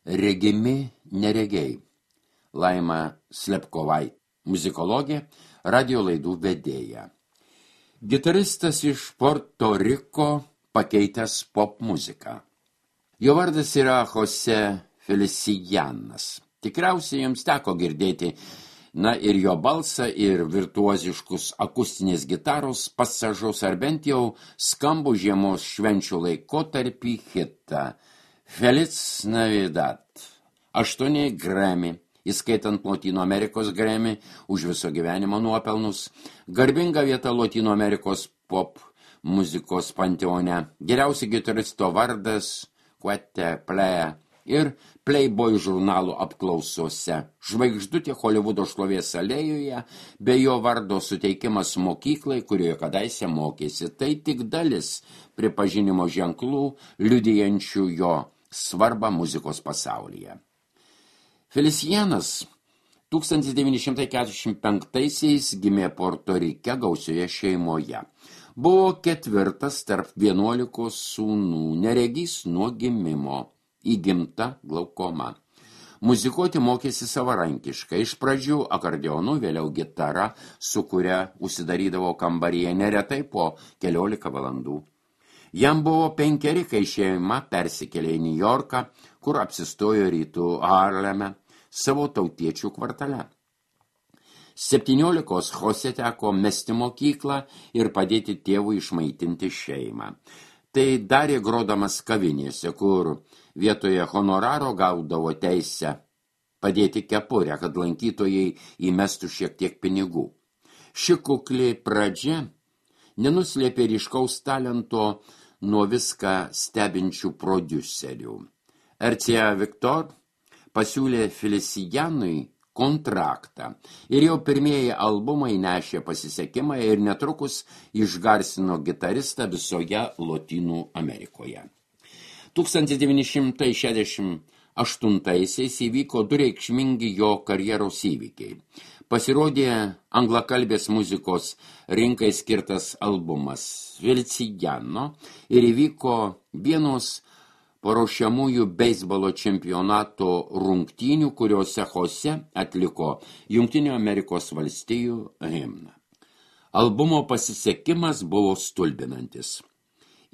Regimi neregiai. Laima Slepkovai, muzikologė, radio laidų vedėja. Gitaristas iš Puerto Riko pakeitęs pop muziką. Jo vardas yra Jose Felicianas. Tikriausiai jums teko girdėti ir jo balsą, ir virtuoziškus akustinės gitaros pasažus, ar bent jau skambų žiemos švenčių laikotarpį hitą Feliz Navidad. 8 Grammy, įskaitant Lotynų Amerikos Grammy už viso gyvenimo nuopelnus, garbinga vieta Lotynų Amerikos pop muzikos panteone, geriausi gitaristo vardas Quete Playa ir Playboy žurnalų apklausose, žvaigždutė Holivudo šlovės alėjoje, bei jo vardo suteikimas mokyklai, kurioje kadaise mokėsi. Tai tik dalis pripažinimo ženklų, liudijančių jo svarbą muzikos pasaulyje. Felicianas 1945-aisiais gimė Puerto Rike gausioje šeimoje. Buvo 4 tarp 11 sūnų, neregys nuo gimimo, įgimta glaukoma. Muzikuoti mokėsi savarankiškai, iš pradžių akordeonu, vėliau gitara, su kuria užsidarydavo kambaryje neretai po 14 valandų. Jam buvo 5, kai šeima persikėlė į Niujorką, kur apsistojo rytų Harleme, savo tautiečių kvartale. 17 Jose teko mesti mokyklą ir padėti tėvui išmaitinti šeimą. Tai darė grodamas kavinėse, kur vietoje honoraro gaudavo teisę padėti kepurę, kad lankytojai įmestų šiek tiek pinigų. Ši kukli pradžia nenuslėpė ryškaus talento nuo viską stebinčių prodiuserių. RCA Victor pasiūlė Felicianui kontraktą ir jau pirmieji albumai nešė pasisekimą ir netrukus išgarsino gitaristą visoje Lotynų Amerikoje. 1968-aisiais įvyko 2 reikšmingi jo karjeros įvykiai. Pasirodė anglakalbės muzikos rinkai skirtas albumas Feliciano ir įvyko vienos paruošiamųjų beisbolo čempionato rungtynių, kuriuose Jose atliko Jungtinių Amerikos valstijų himną. Albumo pasisekimas buvo stulbinantis.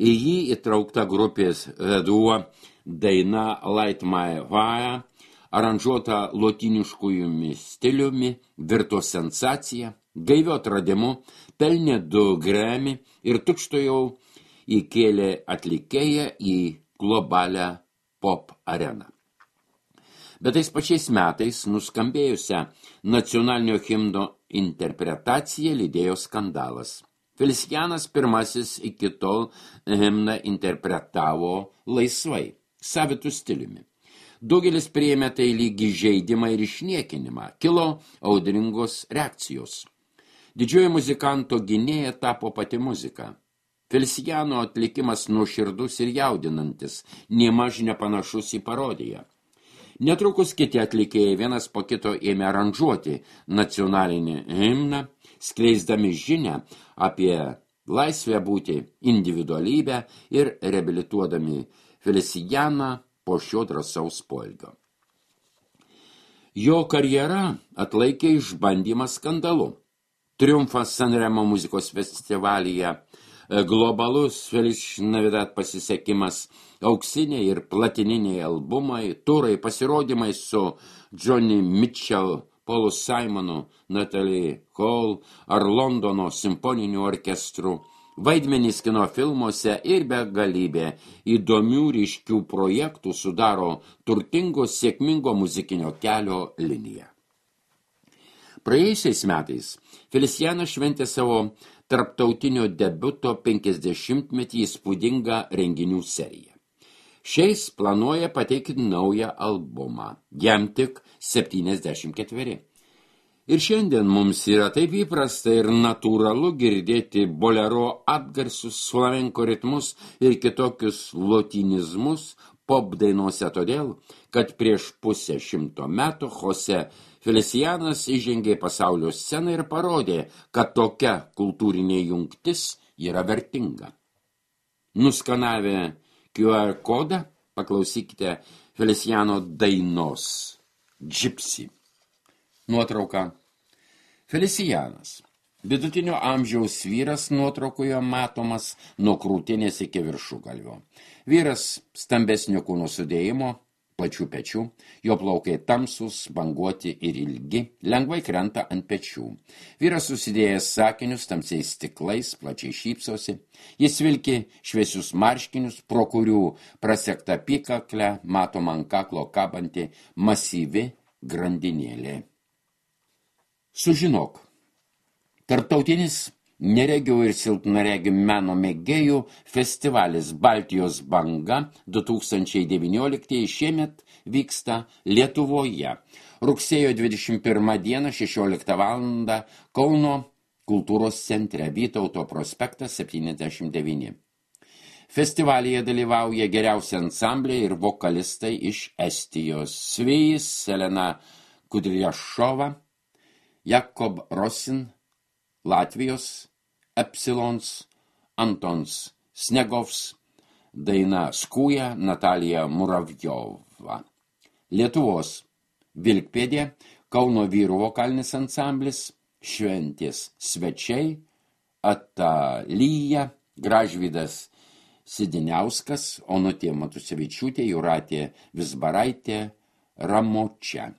Į jį įtraukta grupės The Duo daina Light My Fire, aranžuota lotyniškųjų stiliumi, virto sensacija, gaiviu atradimu, pelnė 2 Grammy ir tučtuojau įkėlė atlikėją į globalią pop areną. Bet tais pačiais metais nuskambėjusią nacionalinio himno interpretaciją lydėjo skandalas. Felicianas pirmasis iki tol himną interpretavo laisvai, savitų stiliumi. Daugelis priėmė tai lyg įžeidimą ir išniekinimą. Kilo audringos reakcijos. Didžioji muzikanto gynėja tapo pati muzika. Feliciano atlikimas nuoširdus ir jaudinantis, nėmaž nepanašus į parodiją. Netrukus kiti atlikėjai vienas po kito ėmė aranžuoti nacionalinį himną, skleisdami žinią apie laisvę būti individualybę ir reabilituodami Felicianą po šio drąsaus poelgio. Jo karjera atlaikė išbandymą skandalu. Triumfas Sanremo muzikos festivalyje, globalus Feliz Navidad pasisekimas, auksiniai ir platininiai albumai, turai, pasirodymai su Johnny Mitchell, Paulu Simonu, Natalie Cole ar Londono simfoniniu orkestru, vaidmenys kino filmuose ir begalybė įdomių ryškių projektų sudaro turtingo sėkmingo muzikinio kelio liniją. Praėjusiais metais Felicianas šventė savo tarptautinio debiuto 50-metį įspūdingą renginių seriją. Šiais planuoja pateikti naują albumą, jam tik 74. Ir šiandien mums yra taip įprasta ir natūralu girdėti bolero atgarsius, flamenko ritmus ir kitokius lotinizmus pop dainuose todėl, kad prieš 150 metų Jose Felicianas įžengė pasaulio sceną ir parodė, kad tokia kultūrinė jungtis yra vertinga. Nuskanavę QR kodą paklausykite Feliciano dainos Gypsy. Nuotrauka. Felicianas. Vidutinio amžiaus vyras nuotraukoje matomas nuo krūtinės iki viršugalvio. Vyras stambesnio kūno sudėjimo, plačių pečių, jo plaukai tamsūs, banguoti ir ilgi, lengvai krenta ant pečių. Vyras susidėjęs sakinius tamsiais stiklais, plačiai šypsosi. Jis vilki šviesius marškinius, pro kurių prasekta apykaklę matoma ant kaklo kabanti masyvi grandinėlė. Sužinok. Tarptautinis neregių ir silpnaregių meno mėgėjų festivalis Baltijos banga 2019 šiemet vyksta Lietuvoje. Rugsėjo 21 dieną 16 val. Kauno kultūros centre Vytauto prospektas 79. Festivalyje dalyvauja geriausi ansambliai ir vokalistai iš Estijos. Svijis, Elena Kudriašova, Jakob Rosin, Latvijos, Epsilons, Antons Snegovs, Daina Skūja, Natalija Muravjova. Lietuvos Vilkpėdė, Kauno vyrų vokalinis ansamblis, Šventės svečiai, Atalyja, Gražvydas Sidiniauskas, Onutė Matusevičiūtė, Jūratė Vizbaraitė, Ramočia.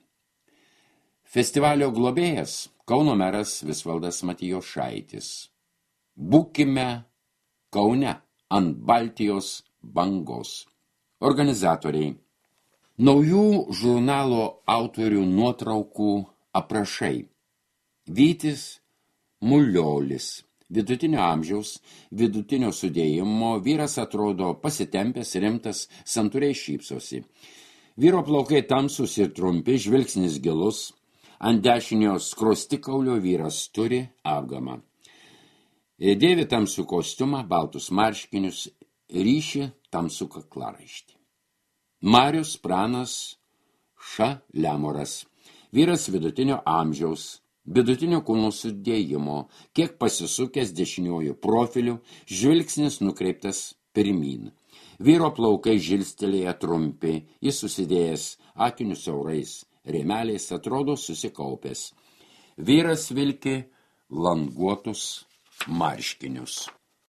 Festivalio globėjas Kauno meras Visvaldas Matijošaitis. Būkime Kaune ant Baltijos bangos. Organizatoriai. Naujų žurnalo autorių nuotraukų aprašai. Vytis Muliolis. Vidutinio amžiaus, vidutinio sudėjimo, vyras atrodo pasitempęs, rimtas, santūriai šypsosi. Vyro plaukai tamsus ir trumpi, žvilgsnis gilus. Ant dešinio skruostikaulio vyras turi apgamą. Dėvi tamsų kostiumą, baltus marškinius, ryši tamsų kaklaraištį. Marius Pranas Šalemoras. Vyras vidutinio amžiaus, vidutinio kūno sudėjimo, kiek pasisukęs dešiniuoju profiliu, žvilgsnis nukreiptas pirmyn. Vyro plaukai žilstelėje trumpi, jis susidėjęs akinius siaurais rėmeliais, atrodo susikaupęs. Vyras vilki languotus marškinius.